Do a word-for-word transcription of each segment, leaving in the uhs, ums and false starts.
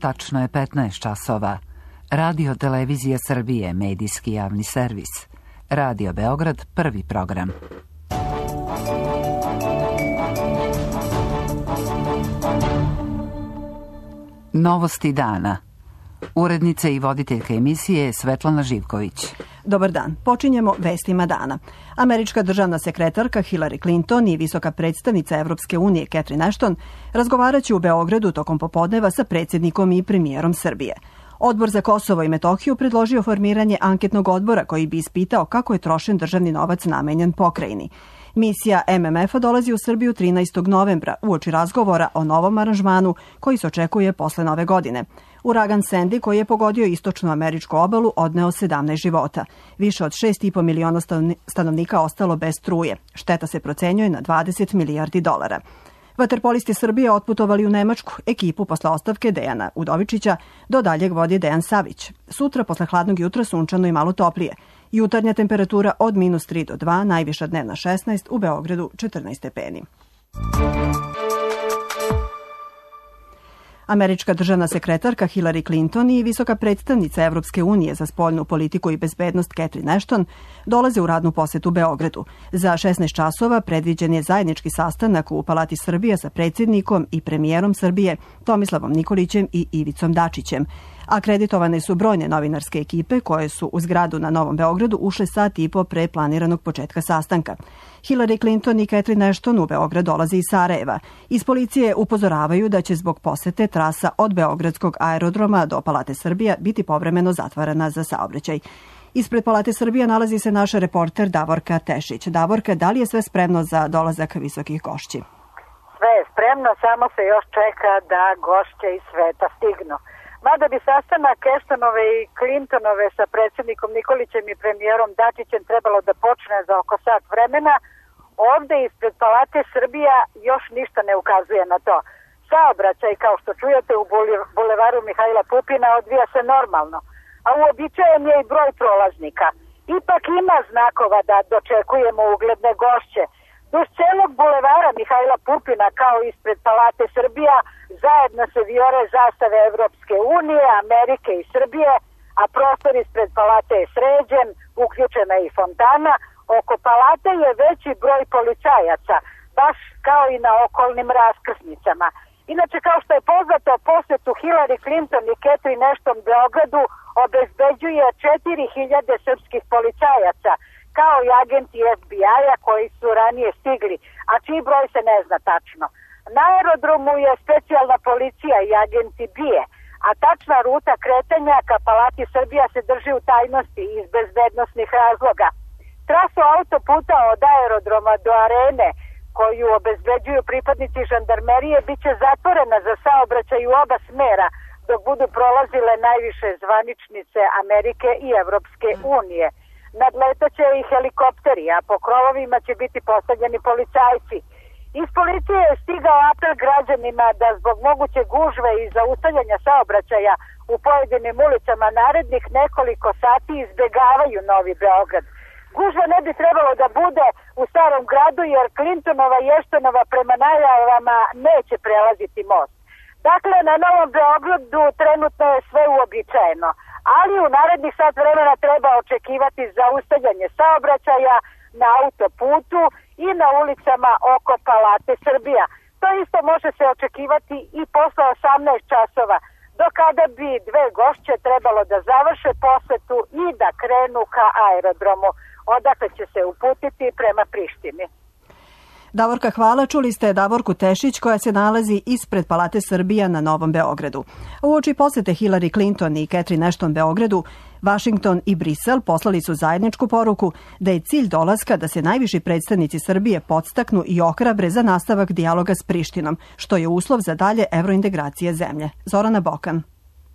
Tačno je petnaest časova. Radio Televizija Srbije, medijski javni servis. Radio Beograd, prvi program. Novosti dana. Urednica i voditeljka emisije je Svetlana Živković. Dobar dan. Počinjemo vestima dana. Američka državna sekretarka Hillary Clinton i visoka predstavnica Evropske unije Catherine Ashton razgovaraće u Beogradu tokom popodneva sa predsjednikom i premijerom Srbije. Odbor za Kosovo i Metohiju predložio formiranje anketnog odbora koji bi ispitao kako je trošen državni novac namenjen pokrajini. Misija M M F-a dolazi u Srbiju trinaestog novembra uoči razgovora o novom aranžmanu koji se očekuje posle nove godine. Uragan Sandy, koji je pogodio istočnu američku obalu, odneo sedamnaest života. Više od šest i po miliona stanovnika ostalo bez struje. Šteta se procenjuje na dvadeset milijardi dolara. Vaterpolisti Srbije otputovali u Nemačku. Ekipu posle ostavke Dejana Udovičića do daljeg vodi Dejan Savić. Sutra posle hladnog jutra sunčano i malo toplije. Jutarnja temperatura od minus tri do dva, najviša dnevna šesnaest, u Beogradu četrnaest stepeni. Američka državna sekretarka Hillary Clinton i visoka predstavnica Evropske unije za spoljnu politiku i bezbednost Catherine Ashton dolaze u radnu posetu Beogradu. Za šesnaest časova predviđen je zajednički sastanak u Palati Srbije sa predsjednikom i premijerom Srbije Tomislavom Nikolićem i Ivicom Dačićem. Akreditovane su brojne novinarske ekipe koje su u zgradu na Novom Beogradu ušle sat i po pre planiranog početka sastanka. Hillary Clinton i Catherine Ashton u Beograd dolaze iz Sarajeva. Iz policije upozoravaju da će zbog posete trasa od Beogradskog aerodroma do Palate Srbija biti povremeno zatvarana za saobraćaj. Ispred Palate Srbija nalazi se naš reporter Davorka Tešić. Davorka, da li je sve spremno za dolazak visokih gošći? Sve je spremno, samo se još čeka da gošće iz sveta stignu. Mada bi sastanak Ashtonove i Clintonove sa predsjednikom Nikolićem i premijerom Dačićem trebalo da počne za oko sat vremena, ovde ispred Palate Srbija još ništa ne ukazuje na to. Saobraćaj, kao što čujete, u bulevaru Mihajla Pupina odvija se normalno, a uobičajen je i broj prolaznika. Ipak ima znakova da dočekujemo ugledne gošće. Duž celog bulevara Mihajla Pupina, kao ispred Palate Srbija, zajedno se vijore zastave Evropske unije, Amerike i Srbije, a prostor ispred Palate je sređen, uključena je i fontana. Oko Palate je veći broj policajaca, baš kao i na okolnim raskrsnicama. Inače, kao što je poznato, posetu Hillary Clinton i Catherine Ashton Beogradu obezbeđuje četiri hiljade srpskih policajaca, kao i agenti F B I-a koji su ranije stigli, a čiji broj se ne zna tačno. Na aerodromu je specijalna policija i agenti B I A, a tačna ruta kretanja ka Palati Srbija se drži u tajnosti iz bezbednosnih razloga. Trasu autoputa od aerodroma do arene, koju obezbeđuju pripadnici žandarmerije, bit će zatvorena za saobraćaj u oba smera, dok budu prolazile najviše zvaničnice Amerike i Evropske unije. Nadletaće i helikopteri, a po krovovima će biti postavljeni policajci. Iz policije je stigao apel građanima da zbog moguće gužve i zaustavljanja saobraćaja u pojedinim ulicama narednih nekoliko sati izbegavaju Novi Beograd. Gužva ne bi trebalo da bude u Starom gradu jer Clintonova i Ashtonova prema najavama neće prelaziti most. Dakle, na Novom Beogradu trenutno je sve uobičajeno, ali u narednih sat vremena treba očekivati zaustavljanje saobraćaja na autoputu i na ulicama oko Palate Srbija. To isto može se očekivati i posle osamnaest časova, do kada bi dve gošće trebalo da završe posetu i da krenu ka aerodromu, odakle će se uputiti prema Prištini. Davorka, hvala. Čuli ste Davorku Tešić koja se nalazi ispred Palate Srbija na Novom Beogradu. Uoči posete Hillary Clinton i Catherine Ashton Beogradu, Washington i Brisel poslali su zajedničku poruku da je cilj dolaska da se najviši predstavnici Srbije podstaknu i ohrabre za nastavak dijaloga s Prištinom, što je uslov za dalje evrointegracije zemlje. Zorana Bokan.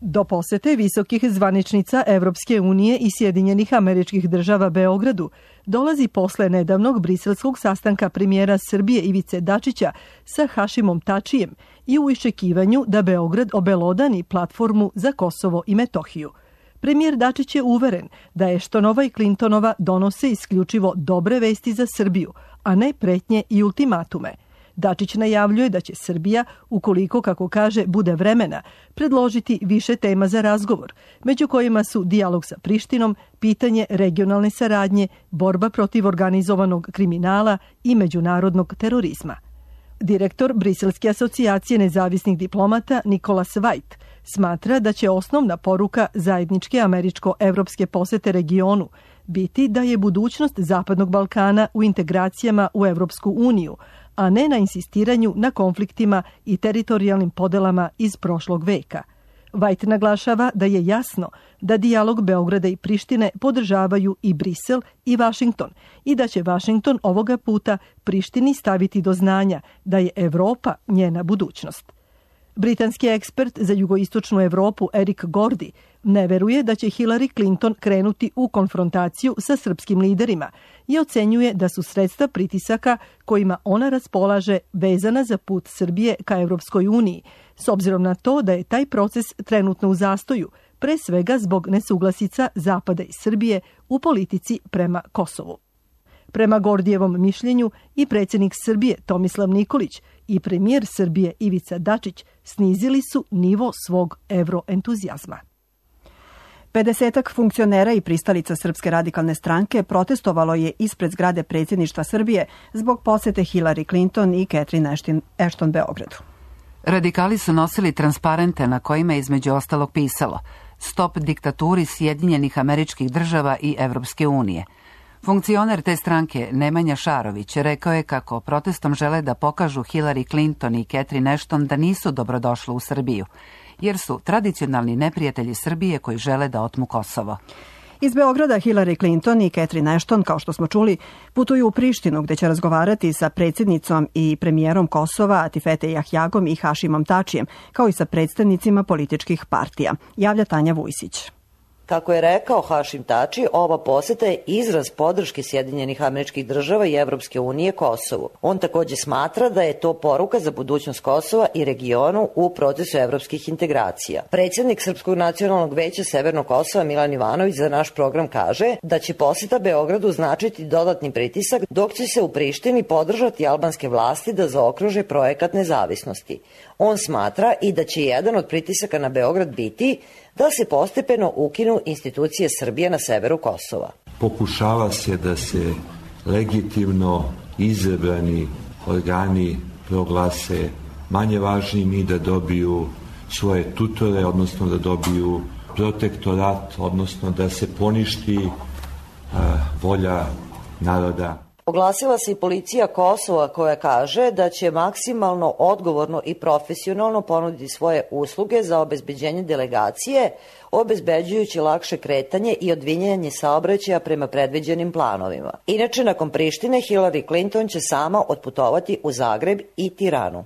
Do posete visokih zvaničnica Evropske unije i Sjedinjenih Američkih Država Beogradu dolazi posle nedavnog briselskog sastanka premijera Srbije Ivice Dačića sa Hašimom Tačijem i u iščekivanju da Beograd obelodani platformu za Kosovo i Metohiju. Premijer Dačić je uveren da Ashtonova i Clintonova donose isključivo dobre vesti za Srbiju, a ne pretnje i ultimatume. Dačić najavljuje da će Srbija, ukoliko, kako kaže, bude vremena, predložiti više tema za razgovor, među kojima su dijalog sa Prištinom, pitanje regionalne saradnje, borba protiv organizovanog kriminala i međunarodnog terorizma. Direktor Briselske asocijacije nezavisnih diplomata Nikolas Vajt smatra da će osnovna poruka zajedničke američko-evropske posete regionu biti da je budućnost Zapadnog Balkana u integracijama u Evropsku uniju, a ne na insistiranju na konfliktima i teritorijalnim podelama iz prošlog veka. Vajt naglašava da je jasno da dijalog Beograda i Prištine podržavaju i Brisel i Vašington i da će Vašington ovoga puta Prištini staviti do znanja da je Evropa njena budućnost. Britanski ekspert za jugoistočnu Evropu Erik Gordy ne veruje da će Hillary Clinton krenuti u konfrontaciju sa srpskim liderima i ocenjuje da su sredstva pritisaka kojima ona raspolaže vezana za put Srbije ka Evropskoj uniji, s obzirom na to da je taj proces trenutno u zastoju, pre svega zbog nesuglasica Zapada i Srbije u politici prema Kosovu. Prema Gordijevom mišljenju i predsjednik Srbije Tomislav Nikolić i premijer Srbije Ivica Dačić snizili su nivo svog evroentuzijazma. Pedesetak funkcionera i pristalica Srpske radikalne stranke protestovalo je ispred zgrade predsjedništva Srbije zbog posete Hillary Clinton i Catherine Ashton Beogradu. Radikali su nosili transparente na kojima je između ostalog pisalo "Stop diktaturi Sjedinjenih Američkih Država i Evropske unije". Funkcioner te stranke Nemanja Šarović rekao je kako protestom žele da pokažu Hillary Clinton i Catherine Ashton da nisu dobrodošli u Srbiju, jer su tradicionalni neprijatelji Srbije koji žele da otmu Kosovo. Iz Beograda Hillary Clinton i Catherine Ashton, kao što smo čuli, putuju u Prištinu gdje će razgovarati sa predsjednicom i premijerom Kosova Atifete Jahjagom i Hašimom Tačijem, kao i sa predstavnicima političkih partija. Javlja Tanja Vujsić. Kako je rekao Hašim Tači, ova poseta je izraz podrške Sjedinjenih Američkih Država i Evropske unije Kosovu. On također smatra da je to poruka za budućnost Kosova i regionu u procesu evropskih integracija. Predsjednik Srpskog nacionalnog veća Severnog Kosova Milan Ivanović za naš program kaže da će poseta Beogradu značiti dodatni pritisak, dok će se u Prištini podržati albanske vlasti da zaokruže projekat nezavisnosti. On smatra i da će jedan od pritisaka na Beograd biti da se postepeno ukinu institucije Srbije na severu Kosova. Pokušava se da se legitimno izabrani organi proglase manje važnim i da dobiju svoje tutore, odnosno da dobiju protektorat, odnosno da se poništi uh, volja naroda. Oglasila se i policija Kosova koja kaže da će maksimalno odgovorno i profesionalno ponuditi svoje usluge za obezbeđenje delegacije, obezbeđujući lakše kretanje i odvinjanje saobraćaja prema predviđenim planovima. Inače, nakon Prištine, Hillary Clinton će sama otputovati u Zagreb i Tiranu.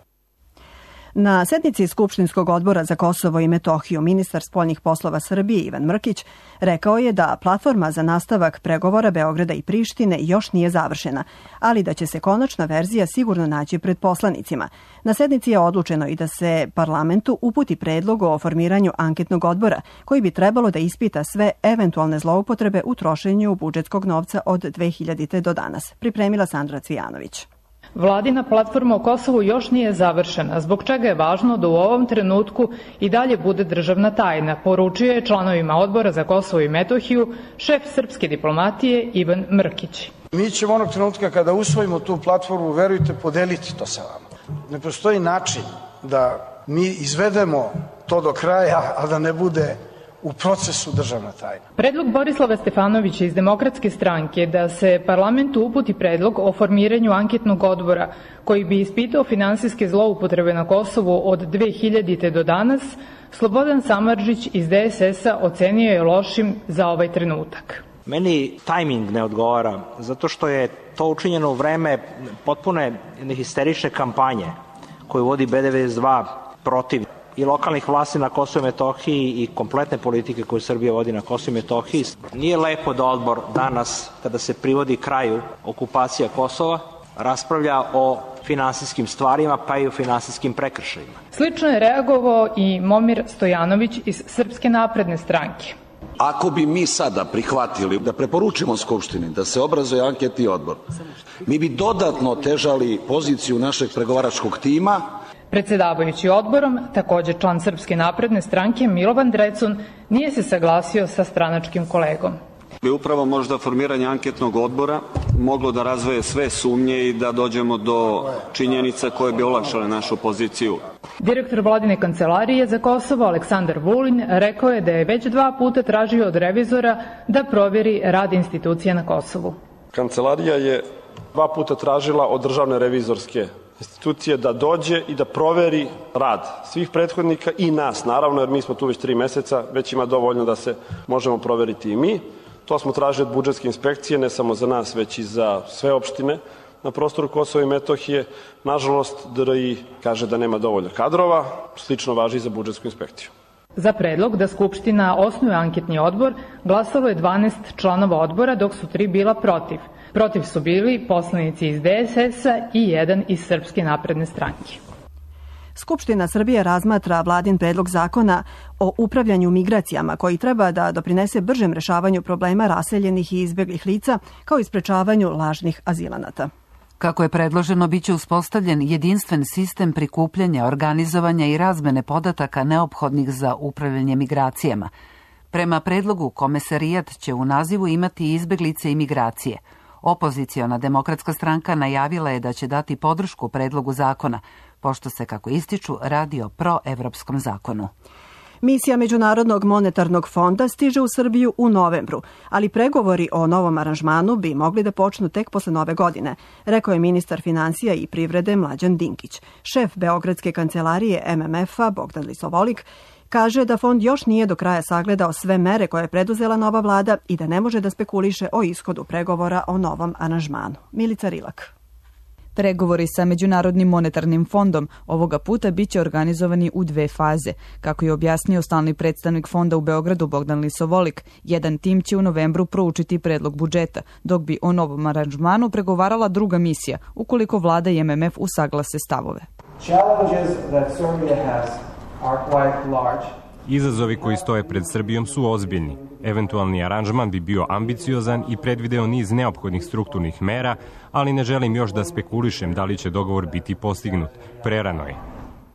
Na sednici Skupštinskog odbora za Kosovo i Metohiju ministar spoljnih poslova Srbije Ivan Mrkić rekao je da platforma za nastavak pregovora Beograda i Prištine još nije završena, ali da će se konačna verzija sigurno naći pred poslanicima. Na sednici je odlučeno i da se parlamentu uputi predlog o formiranju anketnog odbora koji bi trebalo da ispita sve eventualne zloupotrebe u trošenju budžetskog novca od dve hiljadite do danas. Pripremila Sandra Cvijanović. Vladina platforma o Kosovu još nije završena, zbog čega je važno da u ovom trenutku i dalje bude državna tajna, poručio je članovima odbora za Kosovo i Metohiju šef srpske diplomatije Ivan Mrkić. Mi ćemo onog trenutka kada usvojimo tu platformu, verujte, podeliti to sa vama. Ne postoji način da mi izvedemo to do kraja, a da ne bude u procesu državna tajna. Predlog Borislava Stefanovića iz Demokratske stranke da se parlamentu uputi predlog o formiranju anketnog odbora koji bi ispitao finansijske zloupotrebe na Kosovu od dve hiljadite do danas, Slobodan Samardžić iz D S S-a ocenio je lošim za ovaj trenutak. Meni tajming ne odgovara, zato što je to učinjeno u vreme potpune histerične kampanje koju vodi B devedeset dva protiv i lokalnih vlasti na Kosovu i Metohiji i kompletne politike koju Srbija vodi na Kosovu i Metohiji. Nije lepo da odbor danas, kada se privodi kraju okupacija Kosova, raspravlja o finansijskim stvarima, pa i o finansijskim prekršajima. Slično je reagovao i Momir Stojanović iz Srpske napredne stranke. Ako bi mi sada prihvatili da preporučimo Skupštini da se obrazuje anketni odbor, mi bi dodatno otežali poziciju našeg pregovaračkog tima. Predsedavajući odborom, takođe član Srpske napredne stranke Milovan Drecun, nije se saglasio sa stranačkim kolegom. Bi upravo možda formiranje anketnog odbora moglo da razvoje sve sumnje i da dođemo do činjenica koje bi olakšale našu poziciju. Direktor Vladine kancelarije za Kosovo Aleksandar Vulin rekao je da je već dva puta tražio od revizora da provjeri rad institucija na Kosovu. Kancelarija je dva puta tražila od državne revizorske institucije da dođe i da proveri rad svih prethodnika i nas, naravno, jer mi smo tu već tri meseca, već ima dovoljno da se možemo proveriti i mi. To smo tražili od budžetske inspekcije, ne samo za nas, već i za sve opštine na prostoru Kosova i Metohije. Nažalost, D R I kaže da nema dovoljno kadrova, slično važi i za budžetsku inspekciju. Za predlog da Skupština osnuje anketni odbor glasalo je dvanaest članova odbora, dok su tri bila protiv. Protiv su bili poslanici iz D S S-a i jedan iz Srpske napredne stranke. Skupština Srbije razmatra vladin predlog zakona o upravljanju migracijama koji treba da doprinese bržem rešavanju problema raseljenih i izbeglih lica kao i sprečavanju lažnih azilanata. Kako je predloženo, biće uspostavljen jedinstven sistem prikupljanja, organizovanja i razmene podataka neophodnih za upravljanje migracijama. Prema predlogu, Komesarijat će u nazivu imati izbeglice i migracije. Opoziciona demokratska stranka najavila je da će dati podršku predlogu zakona, pošto se, kako ističu, radi o proevropskom zakonu. Misija Međunarodnog monetarnog fonda stiže u Srbiju u novembru, ali pregovori o novom aranžmanu bi mogli da počnu tek posle nove godine, rekao je ministar finansija i privrede Mlađan Dinkić. Šef Beogradske kancelarije M M F-a Bogdan Lisovolik kaže da fond još nije do kraja sagledao sve mere koje je preduzela nova vlada i da ne može da spekuliše o ishodu pregovora o novom aranžmanu. Milica Rilak. Pregovori sa Međunarodnim monetarnim fondom ovoga puta biće organizovani u dve faze. Kako je objasnio stalni predstavnik fonda u Beogradu Bogdan Lisovolik, jedan tim će u novembru proučiti predlog budžeta, dok bi o novom aranžmanu pregovarala druga misija, ukoliko vlada i M M F usaglase stavove. Izazovi koji stoje pred Srbijom su ozbiljni. Eventualni aranžman bi bio ambiciozan i predvideo niz neophodnih strukturnih mera, ali ne želim još da spekulišem da li će dogovor biti postignut. Prerano je.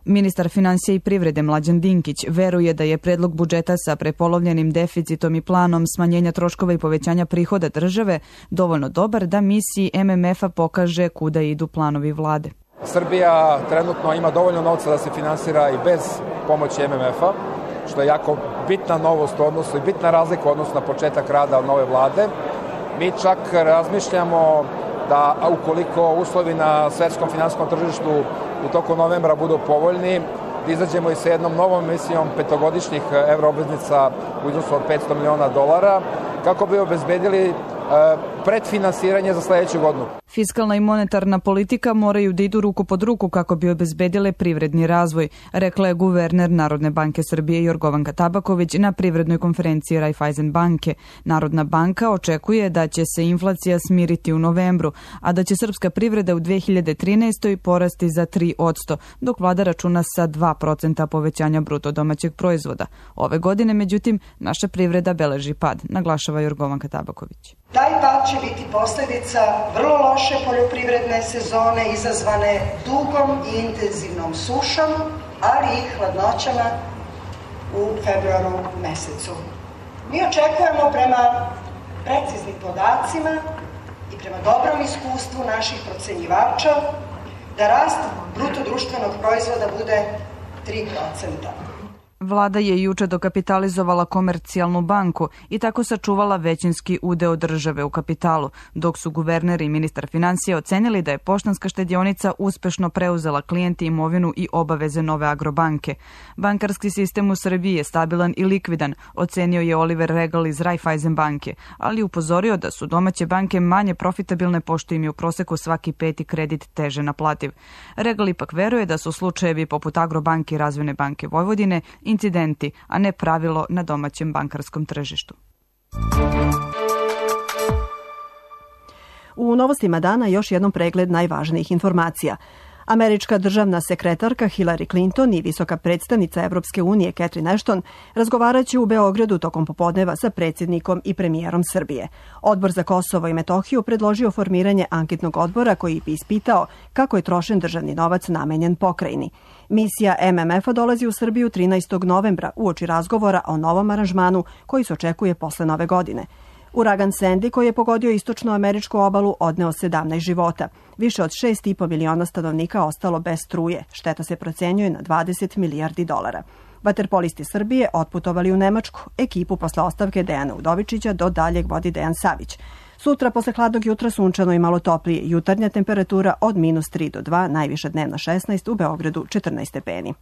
Ministar finansija i privrede Mlađan Dinkić veruje da je predlog budžeta sa prepolovljenim deficitom i planom smanjenja troškova i povećanja prihoda države dovoljno dobar da misiji M M F-a pokaže kuda idu planovi vlade. Srbija trenutno ima dovoljno novca da se finansira i bez pomoći M M F-a, što je jako bitna novost u odnosu i bitna razlika u odnosu na početak rada nove vlade. Mi čak razmišljamo da ukoliko uslovi na svetskom finansijskom tržištu u toku novembra budu povoljni, da izađemo i sa jednom novom emisijom petogodišnjih evroobveznica u iznosu od petsto miliona dolara, kako bi obezbedili predfinansiranje za sledeću godinu. Fiskalna i monetarna politika moraju da idu ruku pod ruku kako bi obezbedile privredni razvoj, rekla je guverner Narodne banke Srbije Jorgovanka Tabaković na privrednoj konferenciji Raiffeisen banke. Narodna banka očekuje da će se inflacija smiriti u novembru, a da će srpska privreda u dve hiljade trinaestoj porasti za tri posto, dok vlada računa sa dva procenta povećanja bruto domaćeg proizvoda. Ove godine, međutim, naša privreda beleži pad, naglašava Jorgovanka Tabaković. Taj pad će biti posljedica vrlo loše poljoprivredne sezone izazvane dugom i intenzivnom sušom, ali i hladnoćama u februaru mesecu. Mi očekujemo prema preciznim podacima i prema dobrom iskustvu naših procenjivača da rast bruto društvenog proizvoda bude tri procenta. Vlada je juče dokapitalizovala Komercijalnu banku i tako sačuvala većinski udeo države u kapitalu, dok su guverner i ministar finansija ocenili da je Poštanska štedionica uspešno preuzela klijenti imovinu i obaveze nove Agrobanke. Bankarski sistem u Srbiji je stabilan i likvidan, ocenio je Oliver Regal iz Raiffeisen banke, ali upozorio da su domaće banke manje profitabilne pošto im je u proseku svaki peti kredit teže naplativ. Regal ipak veruje da su slučajevi poput Agrobanke i Razvojne banke Vojvodine incidenti, a ne pravilo na domaćem bankarskom tržištu. U novostima dana još jednom pregled najvažnijih informacija. Američka državna sekretarka Hillary Clinton i visoka predstavnica Evropske unije Catherine Ashton razgovaraće u Beogradu tokom popodneva sa predsjednikom i premijerom Srbije. Odbor za Kosovo i Metohiju predložio formiranje anketnog odbora koji bi ispitao kako je trošen državni novac namenjen pokrajini. Misija M M F-a dolazi u Srbiju trinaestog novembra uoči razgovora o novom aranžmanu koji se očekuje posle nove godine. Uragan Sandy, koji je pogodio istočnu američku obalu, odneo sedamnaest života. Više od šest i po miliona stanovnika ostalo bez struje. Šteta se procenjuje na dvadeset milijardi dolara. Vaterpolisti Srbije otputovali u Nemačku. Ekipu posle ostavke Dejana Udovičića do daljeg vodi Dejan Savić. Sutra posle hladnog jutra sunčano i malo toplije. Jutarnja temperatura od minus tri do dva, najviša dnevna šesnaest, u Beogradu četrnaest stepeni.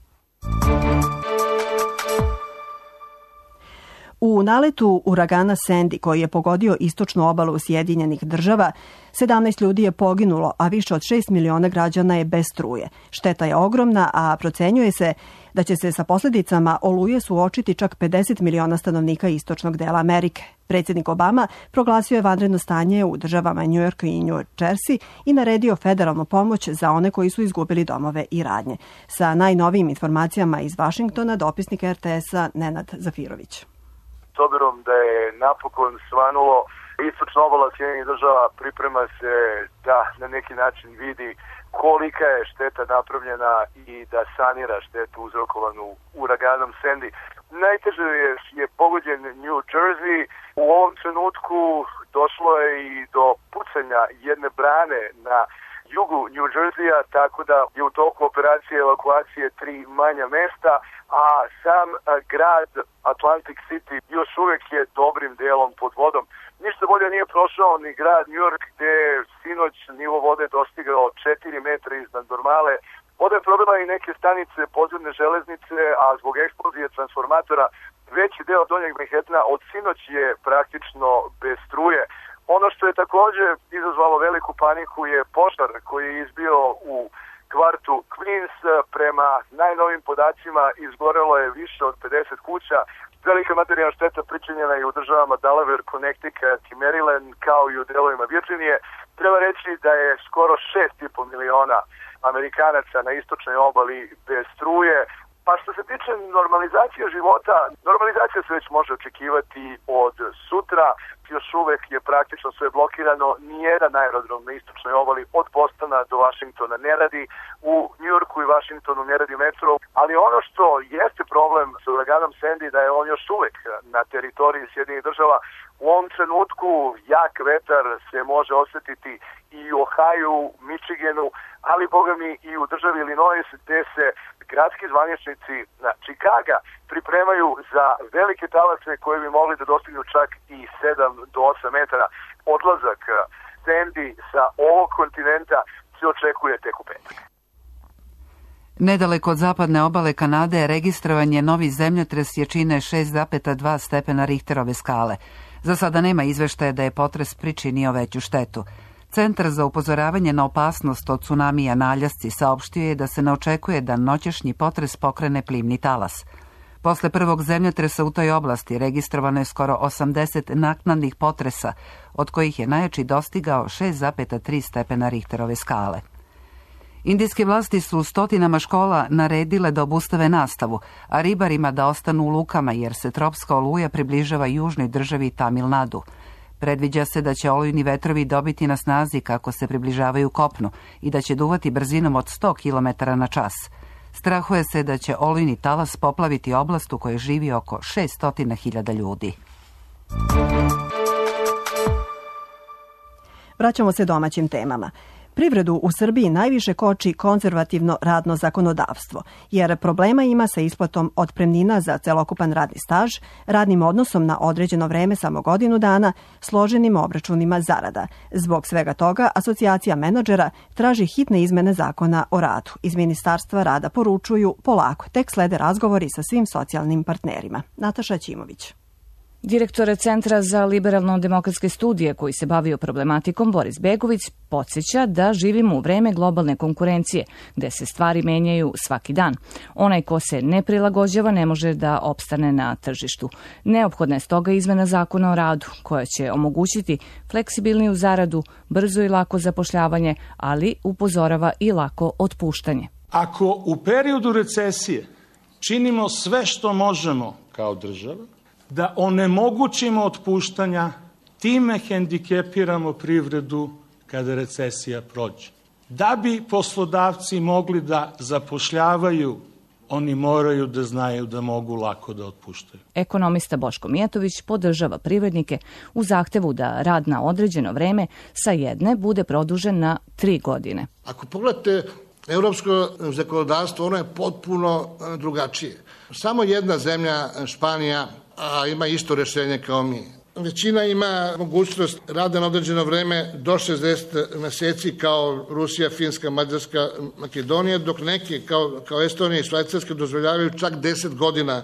U naletu uragana Sandy, koji je pogodio istočnu obalu Sjedinjenih država, sedamnaest ljudi je poginulo, a više od šest miliona građana je bez struje. Šteta je ogromna, a procenjuje se da će se sa posljedicama oluje suočiti čak pedeset miliona stanovnika istočnog dela Amerike. Predsjednik Obama proglasio je vanredno stanje u državama New York i New Jersey i naredio federalnu pomoć za one koji su izgubili domove i radnje. Sa najnovijim informacijama iz Vašingtona, dopisnik R T S-a Nenad Zafirović. S obzirom da je napokon svanulo, istočna obala Sjedinjenih država priprema se da na neki način vidi kolika je šteta napravljena i da sanira štetu uzrokovanu uraganom Sandy. Najteže je, je pogođen New Jersey. U ovom trenutku došlo je i do pucanja jedne brane na jugu New Jerseya, tako da je u toku operacije evakuacije tri manja mesta, a sam grad Atlantic City još uvijek je dobrim delom pod vodom. Ništa bolje nije prošao ni grad New York, gde je sinoć nivo vode dostigao četiri metra iznad normale. Voda je probila i neke stanice podzemne železnice, a zbog eksplozije transformatora veći deo Donjeg Manhattana od sinoć je praktično bez struje. Ono što je također izazvalo veliku paniku je požar koji je izbio u kvartu Queens. Prema najnovim podacima izgorelo je više od pedeset kuća. Velika materijalna šteta pričinjena je u državama Delaware, Connecticut i Maryland, kao i u delovima Virginije. Treba reći da je skoro šest i po miliona Amerikanaca na istočnoj obali bez struje. Pa što se tiče normalizacije života, normalizacija se već može očekivati od sutra. Još uvek je praktično sve blokirano. Nijedan aerodrom na istočnoj obali od Bostona do Washingtona ne radi. U New Yorku i Washingtonu ne radi metro. Ali ono što jeste problem sa uraganom Sandy, da je on još uvek na teritoriji Sjedinjenih država. U ovom trenutku jak vetar se može osjetiti i u Ohio, Michiganu, ali boga mi i u državi Illinois, gde se gradski zvaničnici na Chicaga pripremaju za velike talase koje bi mogli da dostignu čak i sedam do osam metara. Odlazak Sandy sa ovog kontinenta se očekuje tek u petak. Nedaleko od zapadne obale Kanade registrovan je novi zemljotres jačine šest zarez dva stepena Richterove skale. Za sada nema izveštaja da je potres pričinio veću štetu. Centar za upozoravanje na opasnost od tsunamija na Aljasci saopštio je da se ne očekuje da noćašnji potres pokrene plimni talas. Posle prvog zemljotresa u toj oblasti registrovano je skoro osamdeset naknadnih potresa, od kojih je najjači dostigao šest zarez tri stepena Richterove skale. Indijske vlasti su stotinama škola naredile da obustave nastavu, a ribarima da ostanu u lukama jer se tropska oluja približava južnoj državi Tamil Nadu. Predviđa se da će olujni vetrovi dobiti na snazi kako se približavaju kopnu i da će duvati brzinom od sto kilometara na čas. Strahuje se da će olujni talas poplaviti oblast u kojoj živi oko šesto hiljada ljudi. Vraćamo se domaćim temama. Privredu u Srbiji najviše koči konzervativno radno zakonodavstvo, jer problema ima sa isplatom otpremnina za celokupan radni staž, radnim odnosom na određeno vreme samo godinu dana, složenim obračunima zarada. Zbog svega toga, Asocijacija menadžera traži hitne izmene zakona o radu. Iz Ministarstva rada poručuju polako, tek slede razgovori sa svim socijalnim partnerima. Nataša Ćimović. Direktor Centra za liberalno-demokratske studije koji se bavio problematikom Boris Begović podsjeća da živimo u vreme globalne konkurencije, gde se stvari menjaju svaki dan. Onaj ko se ne prilagođava ne može da opstane na tržištu. Neophodna je stoga izmena zakona o radu, koja će omogućiti fleksibilniju zaradu, brzo i lako zapošljavanje, ali upozorava i lako otpuštanje. Ako u periodu recesije činimo sve što možemo kao država, da onemogućimo otpuštanja, time hendikepiramo privredu kada recesija prođe. Da bi poslodavci mogli da zapošljavaju, oni moraju da znaju da mogu lako da otpuštaju. Ekonomista Boško Mijatović podržava privrednike u zahtevu da rad na određeno vreme sa jedne bude produžen na tri godine. Ako pogledate evropsko zakonodavstvo, ono je potpuno drugačije. Samo jedna zemlja, Španija, a ima isto rešenje kao mi. Većina ima mogućnost rada na određeno vreme do šezdeset meseci kao Rusija, Finska, Mađarska, Makedonija, dok neki kao, kao Estonija i Švajcarska dozvoljavaju čak deset godina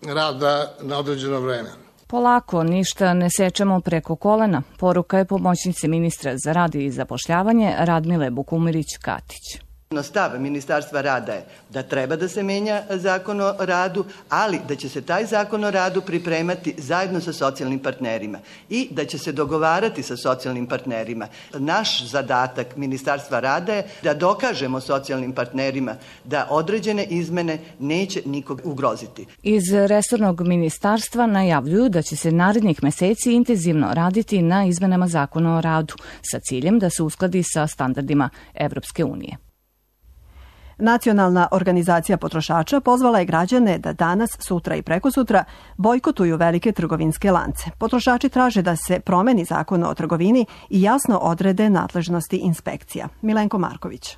rada na određeno vreme. Polako, ništa ne sečemo preko kolena, poruka je pomoćnice ministra za rad i zapošljavanje Radmile Bukumirić-Katić. Stav Ministarstva rada je da treba da se menja zakon o radu, ali da će se taj zakon o radu pripremati zajedno sa socijalnim partnerima i da će se dogovarati sa socijalnim partnerima. Naš zadatak Ministarstva rada je da dokažemo socijalnim partnerima da određene izmene neće nikog ugroziti. Iz resornog ministarstva najavljuju da će se narednih meseci intenzivno raditi na izmenama zakona o radu sa ciljem da se uskladi sa standardima Evropske unije. Nacionalna organizacija potrošača pozvala je građane da danas, sutra i prekosutra bojkotuju velike trgovinske lance. Potrošači traže da se promeni zakon o trgovini i jasno odrede nadležnosti inspekcija. Milenko Marković.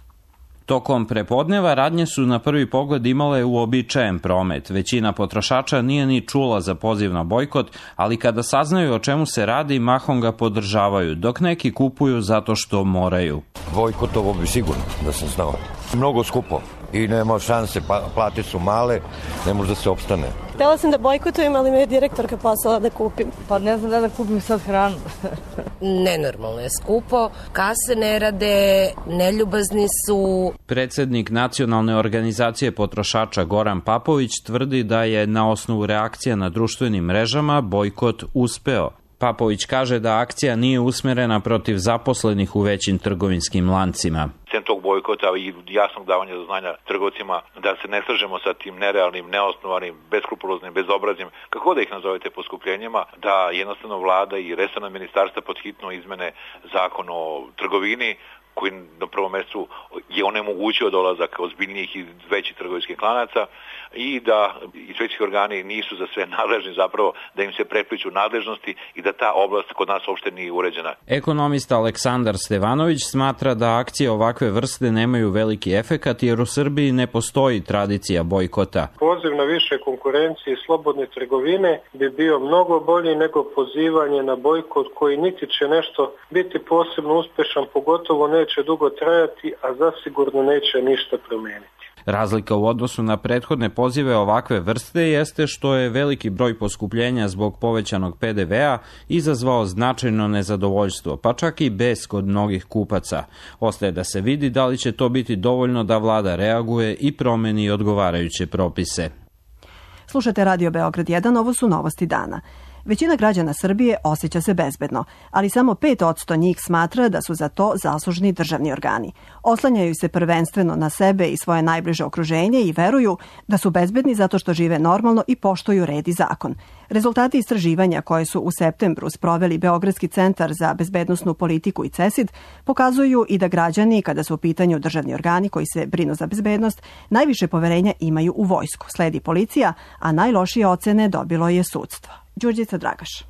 Tokom prepodneva radnje su na prvi pogled imale uobičajen promet. Većina potrošača nije ni čula za poziv na bojkot, ali kada saznaju o čemu se radi, mahom ga podržavaju, dok neki kupuju zato što moraju. Bojkotovo bi sigurno, da sam znao. Mnogo skupo i nema šanse, plate su male, ne može da se opstane. Htela sam da bojkotujem, ali me je direktorka poslala da kupim. Pa ne znam da da kupim sad hranu. Nenormalno je skupo, kase ne rade, neljubazni su. Predsednik Nacionalne organizacije potrošača Goran Papović tvrdi da je na osnovu reakcija na društvenim mrežama bojkot uspeo. Papović kaže da akcija nije usmerena protiv zaposlenih u većim trgovinskim lancima. Sem tog bojkota i jasnog davanja do znanja trgovcima da se ne slažemo sa tim nerealnim, neosnovanim, beskrupuloznim, bezobraznim, kako da ih nazovete poskupljenjima, da jednostavno vlada i resorna ministarstva pod hitno izmene zakon o trgovini, koji na prvom mestu je onemogućio dolazak ozbiljnijih i većih trgovinskih klanaca i da inspekcijski organi nisu za sve nadležni, zapravo da im se prepliču nadležnosti i da ta oblast kod nas uopšte nije uređena. Ekonomista Aleksandar Stevanović smatra da akcije ovakve vrste nemaju veliki efekat jer u Srbiji ne postoji tradicija bojkota. Poziv na više konkurencije i slobodne trgovine bi bio mnogo bolji nego pozivanje na bojkot koji niti će nešto biti posebno uspešan, pogotovo ne neće dugo trajati, a zasigurno neće ništa promeniti. Razlika u odnosu na prethodne pozive ovakve vrste jeste što je veliki broj poskupljenja zbog povećanog pe de ve a izazvao značajno nezadovoljstvo, pa čak i bes kod mnogih kupaca. Ostaje da se vidi da li će to biti dovoljno da vlada reaguje i promeni odgovarajuće propise. Slušate Radio Beograd jedan, ovo su novosti dana. Većina građana Srbije osjeća se bezbedno, ali samo pet posto njih smatra da su za to zaslužni državni organi. Oslanjaju se prvenstveno na sebe i svoje najbliže okruženje i veruju da su bezbedni zato što žive normalno i poštuju red i zakon. Rezultati istraživanja koje su u septembru sproveli Beogradski centar za bezbednosnu politiku i CESID pokazuju i da građani, kada su u pitanju državni organi koji se brinu za bezbednost, najviše poverenja imaju u vojsku. Sledi policija, a najlošije ocene dobilo je sudstvo. Đurđica Dragaš.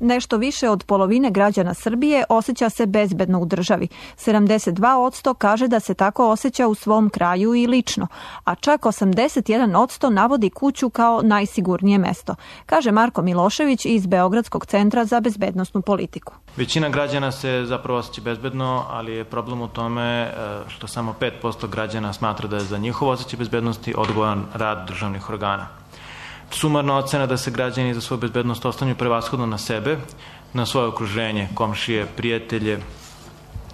Nešto više od polovine građana Srbije osjeća se bezbedno u državi. sedamdeset dva posto kaže da se tako osjeća u svom kraju i lično, a čak osamdeset jedan posto navodi kuću kao najsigurnije mesto, kaže Marko Milošević iz Beogradskog centra za bezbednosnu politiku. Većina građana se zapravo osjeća bezbedno, ali je problem u tome što samo pet posto građana smatra da je za njihov osjećaj bezbednosti odgovoran rad državnih organa. Sumarna ocena da se građani za svoju bezbednost oslanjaju prevashodno na sebe, na svoje okruženje, komšije, prijatelje,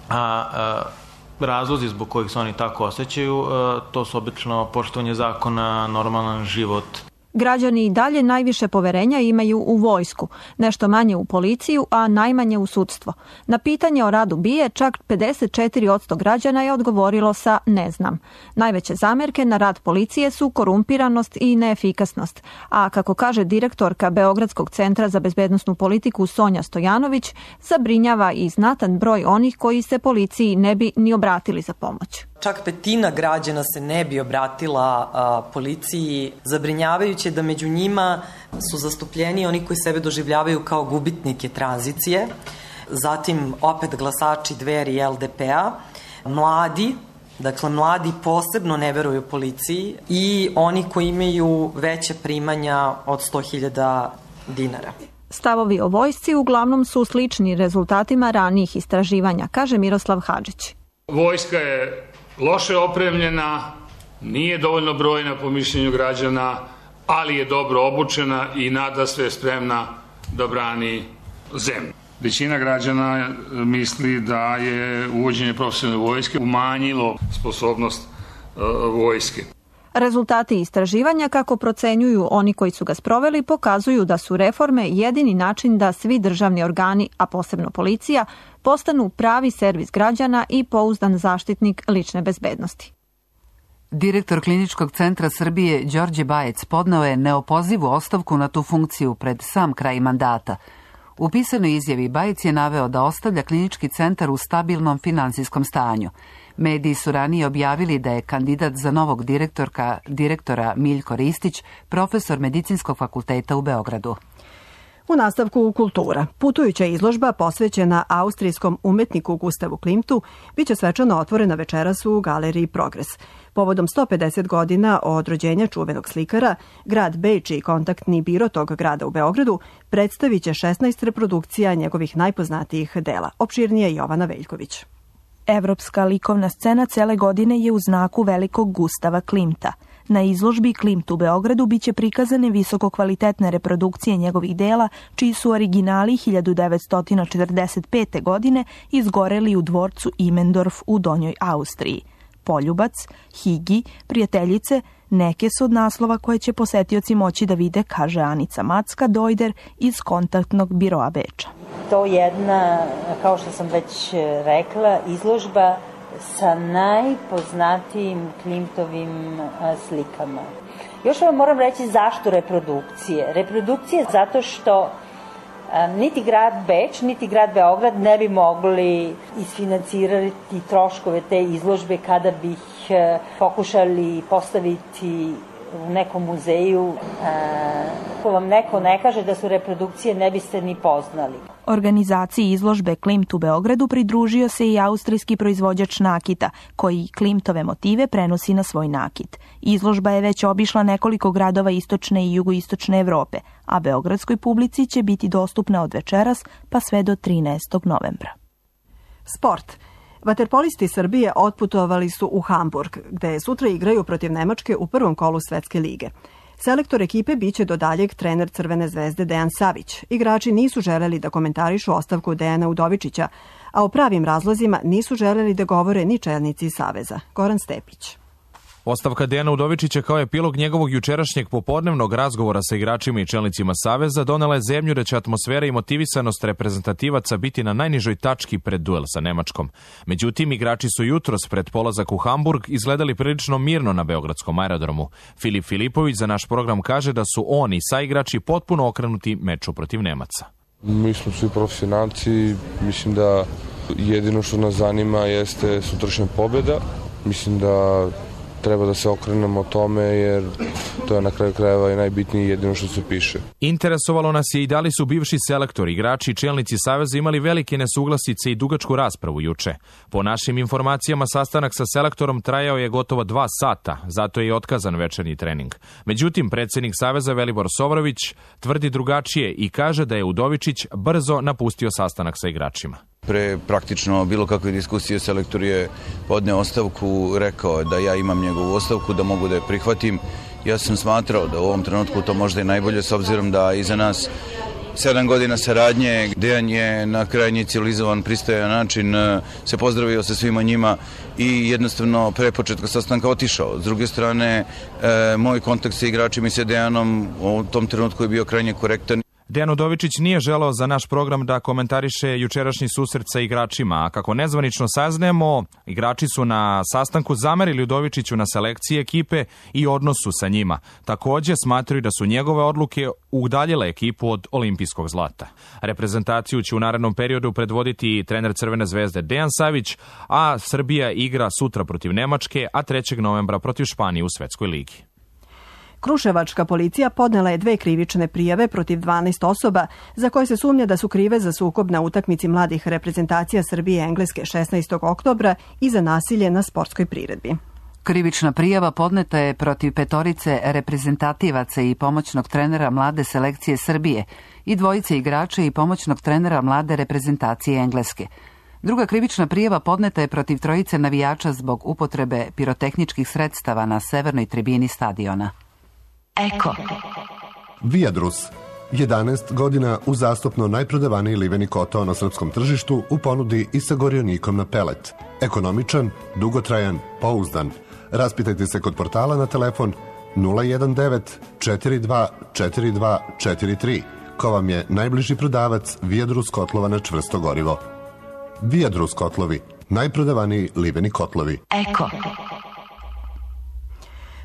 a, a razlozi zbog kojih se oni tako osjećaju, a, to su obično poštovanje zakona, normalan život. Građani i dalje najviše poverenja imaju u vojsku, nešto manje u policiju, a najmanje u sudstvo. Na pitanje o radu B I A čak pedeset četiri posto građana je odgovorilo sa ne znam. Najveće zamerke na rad policije su korumpiranost i neefikasnost, a kako kaže direktorka Beogradskog centra za bezbednosnu politiku Sonja Stojanović, zabrinjava i znatan broj onih koji se policiji ne bi ni obratili za pomoć. Čak petina građana se ne bi obratila a, policiji, zabrinjavajuće da među njima su zastupljeni oni koji sebe doživljavaju kao gubitnike tranzicije, zatim opet glasači Dveri i L D P-a, mladi, dakle mladi posebno ne veruju policiji i oni koji imaju veće primanja od sto hiljada dinara. Stavovi o vojsci uglavnom su slični rezultatima ranijih istraživanja, kaže Miroslav Hadžić. Vojska je loše opremljena, nije dovoljno brojna po mišljenju građana, ali je dobro obučena i nadasve spremna da brani zemlju. Većina građana misli da je uvođenje profesionalne vojske umanjilo sposobnost uh, vojske. Rezultati istraživanja, kako procenjuju oni koji su ga sproveli, pokazuju da su reforme jedini način da svi državni organi, a posebno policija, postanu pravi servis građana i pouzdan zaštitnik lične bezbednosti. Direktor Kliničkog centra Srbije Đorđe Bajec podneo je neopozivu ostavku na tu funkciju pred sam kraj mandata. U pisanoj izjavi Bajec je naveo da ostavlja Klinički centar u stabilnom finansijskom stanju. Mediji su ranije objavili da je kandidat za novog direktorka, direktora Miljko Ristić, profesor Medicinskog fakulteta u Beogradu. U nastavku kultura. Putujuća izložba posvećena austrijskom umetniku Gustavu Klimtu biće svečano otvorena večeras u galeriji Progres. Povodom sto pedeset godina od rođenja čuvenog slikara, grad Beč i kontaktni biro tog grada u Beogradu predstavit će šesnaest reprodukcija njegovih najpoznatijih dela. Opširnije Jovana Veljković. Evropska likovna scena cele godine je u znaku velikog Gustava Klimta. Na izložbi Klimt u Beogradu biće prikazane visokokvalitetne reprodukcije njegovih dela, čiji su originali hiljadu devetsto četrdeset pete. godine izgoreli u dvorcu Imendorf u Donjoj Austriji. Poljubac, Higi, Prijateljice, neke su od naslova koje će posetioci moći da vide, kaže Anica Macka-Dojder iz kontaktnog biroa Beča. To je jedna, kao što sam već rekla, izložba sa najpoznatijim Klimtovim slikama. Još vam moram reći zašto reprodukcije. Reprodukcije zato što niti grad Beč, niti grad Beograd ne bi mogli isfinancirati troškove te izložbe kada bi ih pokušali postaviti u nekom muzeju. Ako vam neko ne kaže da su reprodukcije, ne biste ni poznali. Organizaciji izložbe Klimt u Beogradu pridružio se i austrijski proizvođač nakita, koji Klimtove motive prenosi na svoj nakit. Izložba je već obišla nekoliko gradova istočne i jugoistočne Evrope, a beogradskoj publici će biti dostupna od večeras pa sve do trinaestog novembra. Sport. Vaterpolisti Srbije otputovali su u Hamburg, gde sutra igraju protiv Nemačke u prvom kolu Svetske lige. Selektor ekipe biće do daljeg trener Crvene zvezde Dejan Savić. Igrači nisu želeli da komentarišu ostavku Dejana Udovičića, a o pravim razlozima nisu želeli da govore ni čelnici Saveza. Goran Stepić. Ostavka Dejana Udovičića kao epilog njegovog jučerašnjeg popodnevnog razgovora sa igračima i čelnicima Saveza donela je zemlju da će atmosfera i motivisanost reprezentativaca biti na najnižoj tački pred duel sa Nemačkom. Međutim, igrači su jutros pred polazak u Hamburg izgledali prilično mirno na beogradskom aerodromu. Filip Filipović za naš program kaže da su oni sa igrači potpuno okrenuti meču protiv Nemaca. Mi smo svi profesionalci, mislim da jedino što nas zanima jeste sutrašnja pobjeda. Mislim da treba da se okrenemo tome, jer to je na kraju krajeva i najbitnije jedino što se piše. Interesovalo nas je i da li su bivši selektori, igrači i čelnici Saveza imali velike nesuglasice i dugačku raspravu juče. Po našim informacijama, sastanak sa selektorom trajao je gotovo dva sata, zato je i otkazan večernji trening. Međutim, predsjednik Saveza Velibor Sovrović tvrdi drugačije i kaže da je Udovičić brzo napustio sastanak sa igračima. Pre praktično bilo kakve diskusije selektor je podneo ostavku, rekao da ja imam njegovu ostavku, da mogu da je prihvatim Ja sam smatrao da u ovom trenutku to možda i najbolje, s obzirom da iza nas sedam godina saradnje, Dejan je na krajnji civilizovan, pristojan način se pozdravio sa svima njima i jednostavno pre početka sastanka otišao. S druge strane, moj kontakt sa igračima i sa Dejanom u tom trenutku je bio krajnje korektan. Dejan Udovičić nije želeo za naš program da komentariše jučerašnji susret sa igračima, a kako nezvanično saznajemo, igrači su na sastanku zamerili Udovičiću na selekciji ekipe i odnosu sa njima. Takođe smatraju da su njegove odluke udaljile ekipu od olimpijskog zlata. Reprezentaciju će u narednom periodu predvoditi trener Crvene zvezde Dejan Savić, a Srbija igra sutra protiv Nemačke, a trećeg novembra protiv Španije u Svetskoj ligi. Kruševačka policija podnela je dve krivične prijave protiv dvanaest osoba za koje se sumnja da su krive za sukob na utakmici mladih reprezentacija Srbije i Engleske šesnaestog oktobra i za nasilje na sportskoj priredbi. Krivična prijava podneta je protiv petorice reprezentativaca i pomoćnog trenera mlade selekcije Srbije i dvojice igrača i pomoćnog trenera mlade reprezentacije Engleske. Druga krivična prijava podneta je protiv trojice navijača zbog upotrebe pirotehničkih sredstava na severnoj tribini stadiona. Eko. Viadrus. jedanaest godina uzastopno najprodavaniji liveni kotao na srpskom tržištu u ponudi i sa gorionikom na pelet. Ekonomičan, dugotrajan, pouzdan. Raspitajte se kod portala na telefon nula jedan devet četiri dva četiri dva četiri tri, ko vam je najbliži prodavac Viadrus kotlova na čvrsto gorivo. Viadrus kotlovi, najprodavaniji liveni kotlovi. Eko.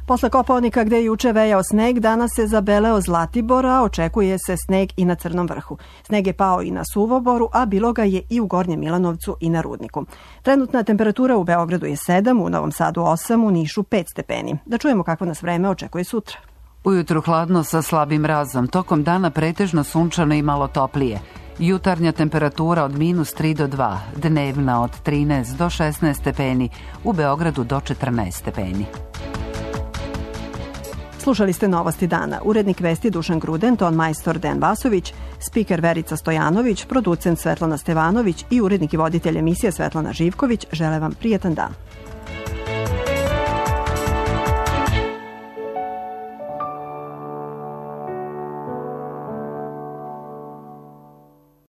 Posle Kopaonika gde je juče vejao sneg, danas se zabeleo Zlatibor, a očekuje se sneg i na Crnom vrhu. Sneg je pao i na Suvoboru, a bilo ga je i u Gornjem Milanovcu i na Rudniku. Trenutna temperatura u Beogradu je sedam, u Novom Sadu osam, u Nišu pet stepeni. Da čujemo kako nas vreme očekuje sutra. Ujutru hladno sa slabim mrazom, tokom dana pretežno sunčano i malo toplije. Jutarnja temperatura od minus tri do dva, dnevna od trinaest do šesnaest stepeni, u Beogradu do četrnaest stepeni. Slušali ste Novosti dana. Urednik vesti Dušan Gruden, ton majstor Dejan Vasović, spiker Verica Stojanović, producent Svetlana Stevanović i urednik i voditelj emisije Svetlana Živković žele vam prijetan dan.